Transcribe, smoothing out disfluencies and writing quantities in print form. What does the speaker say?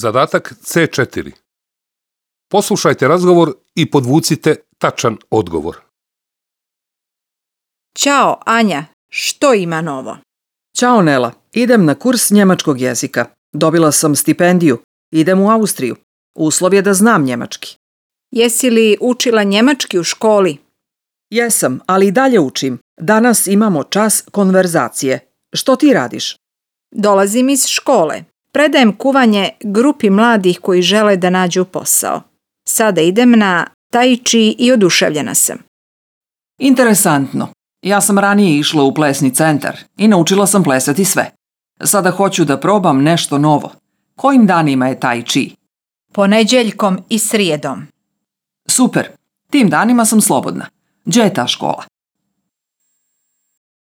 Zadatak C4. Poslušajte razgovor i podvucite tačan odgovor. Ćao, Anja. Što ima novo? Ćao Nela, idem na kurs njemačkog jezika. Dobila sam stipendiju. Idem u Austriju. Uslov je da znam njemački. Jesi li učila njemački u školi? Jesam, ali i dalje učim. Danas imamo čas konverzacije. Što ti radiš? Dolazim iz škole. Predajem kuvanje grupi mladih koji žele da nađu posao. Sada idem na tai chi i oduševljena sam. Interesantno. Ja sam ranije išla u plesni centar i naučila sam plesati sve. Sada hoću da probam nešto novo. Kojim danima je tai chi? Ponedjeljkom i srijedom. Super. Tim danima sam slobodna. Gdje je ta škola?